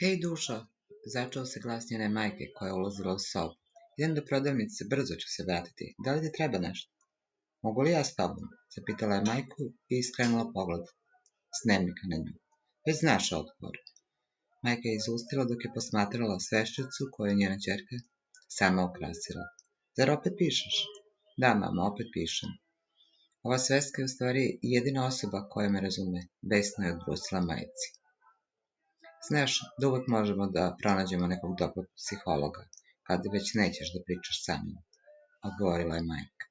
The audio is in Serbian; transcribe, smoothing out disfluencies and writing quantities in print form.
Hej, dušo, začeo se glas njene majke koja je ulazila u sobu. Idem do prodavnice, brzo ću se vratiti. Da li ti treba nešto? Mogu li ja s tobom? Zapitala je majku i skrenula pogled s dnevnika na nju. Već znaš odgovor. Majka je izustila dok je posmatrala sveščicu koju je njena ćerka sama ukrasila. Zar opet pišeš? Da, mama, opet pišem. Ova sveska je u stvari jedina osoba koja me razume, besno je odbrusila majci. Znaš, da uvek možemo da pronađemo nekog dobrog psihologa, kad već nećeš da pričaš sa mnom, odgovorila je majka.